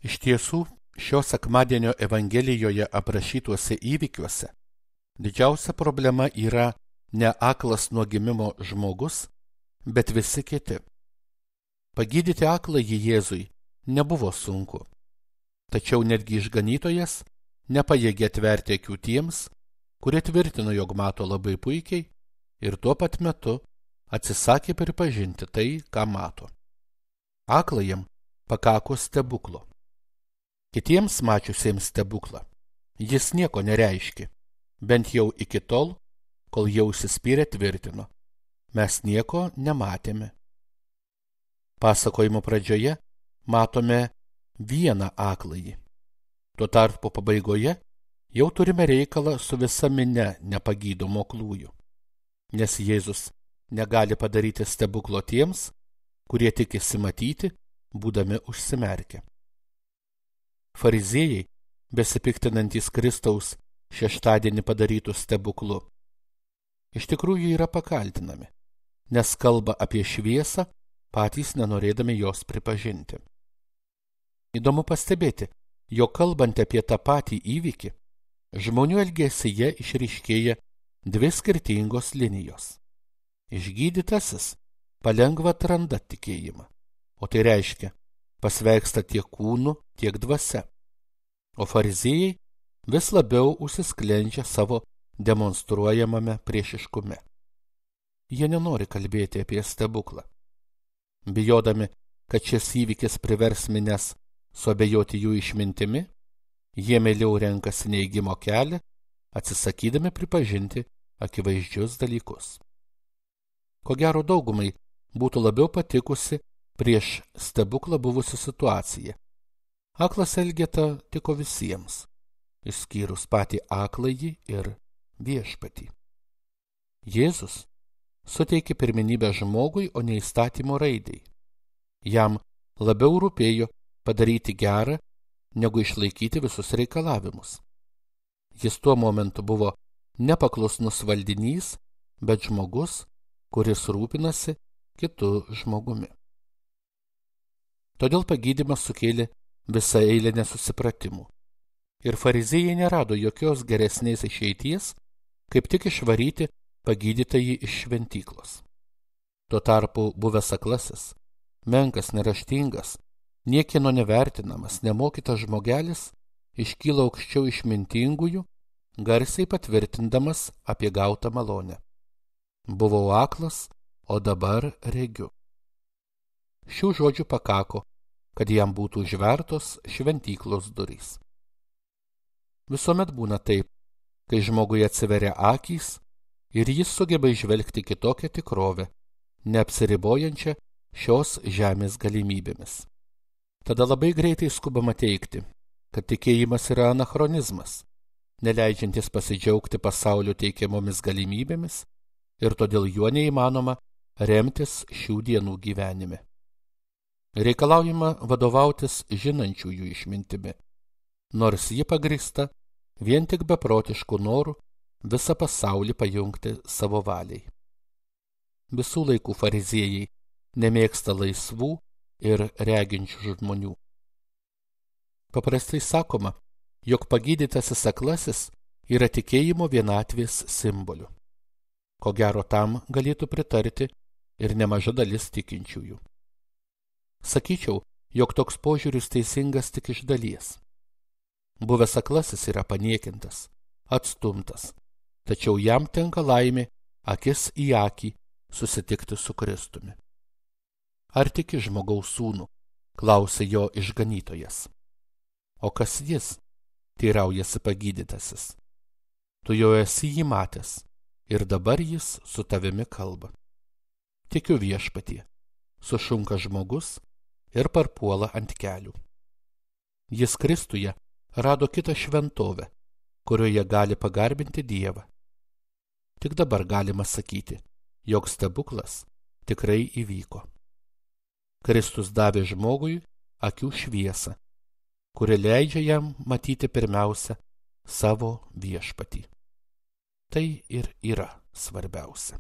Iš tiesų, šio sekmadienio Evangelijoje aprašytuose įvykiuose didžiausia problema yra ne aklas nuo gimimo žmogus, bet visi kiti. Pagydyti akląjį Jėzui nebuvo sunku, tačiau netgi išganytojas nepajėgė atverti akių tiems, kurie tvirtino, jog mato labai puikiai ir tuo pat metu atsisakė pripažinti tai, ką mato. Aklajam pakako stebuklo. Kitiems mačiusiems stebuklą jis nieko nereiškė, bent jau iki tol, kol jau užsispyrę tvirtino: mes nieko nematėme. Pasakojimo pradžioje matome vieną akląjį. Tuo tarpu pabaigoje jau turime reikalą su visa minia nepagydomų aklųjų, nes Jėzus negali padaryti stebuklo tiems, kurie tikisi matyti, būdami užsimerkę. Fariziejai, besipiktinantys Kristaus šeštadienį padarytų stebuklų, iš tikrųjų yra pakaltinami, nes kalba apie šviesą, patys nenorėdami jos pripažinti. Įdomu pastebėti, jog kalbant apie tą patį įvykį, žmonių elgesyje išryškėja dvi skirtingos linijos. Išgydytasis palengva atranda tikėjimą, o tai reiškia, pasveiksta tiek kūnu, tiek dvasia. O fariziejai vis labiau užsisklendžia savo demonstruojamame priešiškume. Jie nenori kalbėti apie stebuklą. Bijodami, kad šis įvykis privers minias suabejoti jų išmintimi, jie mieliau renkasi neigimo kelią, atsisakydami pripažinti akivaizdžius dalykus. Ko gero daugumai būtų labiau patikusi prieš stebuklą buvusi situacija. Aklas Elgeta tiko visiems, išskyrus patį akląjį ir viešpatį. Jėzus suteikė pirmenybę žmogui, o ne įstatymo raidei. Jam labiau rūpėjo padaryti gerą, negu išlaikyti visus reikalavimus. Jis tuo momentu buvo nepaklusnus valdinys, bet žmogus, kuris rūpinasi kitu žmogumi. Todėl pagydymas sukėlė visą eilę nesusipratimų. Ir fariziejai nerado jokios geresnės išeities, kaip tik išvaryti pagydytąjį iš šventyklos. Tuo tarpu buvęs aklasis, menkas, neraštingas, niekieno nevertinamas, nemokytas žmogelis iškyla aukščiau išmintingųjų, garsiai patvirtindamas apie gautą malonę. Buvau aklas, o dabar regiu. Šių žodžių pakako, kad jam būtų užvertos šventyklos durys. Visuomet būna taip, kai žmogui atsiveria akys ir jis sugeba įžvelgti kitokią tikrovę, neapsiribojančią šios žemės galimybėmis. Tada labai greitai skubama teigti, kad tikėjimas yra anachronizmas, neleidžiantis pasidžiaugti pasaulio teikiamomis galimybėmis ir todėl juo neįmanoma remtis šių dienų gyvenime. Reikalaujama vadovautis žinančiųjų išmintimi, nors ji pagrįsta vien tik beprotiškų norų visą pasaulį pajungti savo valiai. Visų laikų fariziejai nemėgsta laisvų ir reginčių žmonių. Paprastai sakoma, jog pagydytasis aklasis yra tikėjimo vienatvės simboliu. Ko gero tam galėtų pritarti ir nemaža dalis tikinčiųjų. Sakyčiau, jog toks požiūris teisingas tik iš dalies. Buvęs aklasis yra paniekintas, atstumtas, tačiau jam tenka laimė akis į akį susitikti su Kristumi. Ar tiki žmogaus sūnų? Klausė jo išganytojas. O kas jis? Teiraujasi pagydytasis. Tu jau esi jį matęs ir dabar jis su tavimi kalba. Tikiu viešpatie, sušunka žmogus ir parpuola ant kelių. Jis Kristuje rado kitą šventovę, kurioje gali pagarbinti Dievą. Tik dabar galima sakyti, jog stebuklas tikrai įvyko. Kristus davė žmogui akių šviesą, kuri leidžia jam matyti pirmiausia savo viešpatį. Tai ir yra svarbiausia.